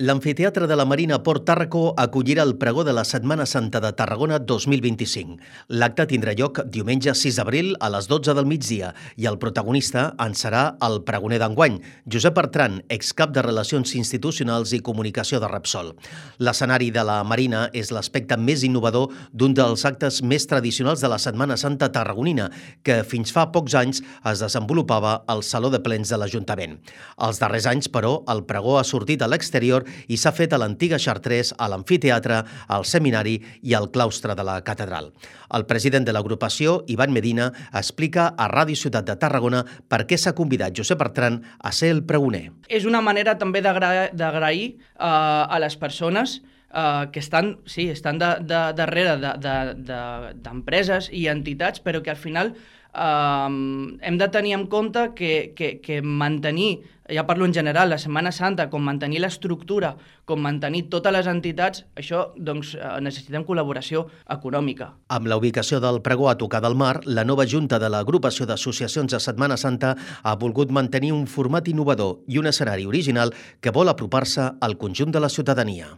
L'Amfiteatre de la Marina Port Tàrraco acollirà el pregó de la Setmana Santa de Tarragona 2025. L'acte tindrà lloc diumenge 6 d'abril a les 12 del migdia i el protagonista en serà el pregoner d'enguany, Josep Bertran, excap de Relacions Institucionals i Comunicació de Repsol. L'escenari de la Marina és l'aspecte més innovador d'un dels actes més tradicionals de la Setmana Santa tarragonina, que fins fa pocs anys es desenvolupava al Saló de Plens de l'Ajuntament. Els darrers anys, però, el pregó ha sortit a l'exterior i s'ha fet a l'antiga Chartres, a l'amfiteatre, al seminari i al claustre de la catedral. El president de l'agrupació, Ivan Medina, explica a Ràdio Ciutat de Tarragona per què s'ha convidat Josep Bertran a ser el pregoner. És una manera també d'agrair a les persones que estan darrere d'empreses i entitats, però que al final hem de tenir en compte que mantenir, ja parlo en general, la Setmana Santa, com mantenir l'estructura, com mantenir totes les entitats, això doncs necessitem col·laboració econòmica. Amb la ubicació del pregó a tocar del mar, la nova Junta de l'Agrupació d'Associacions de Setmana Santa ha volgut mantenir un format innovador i un escenari original que vol apropar-se al conjunt de la ciutadania.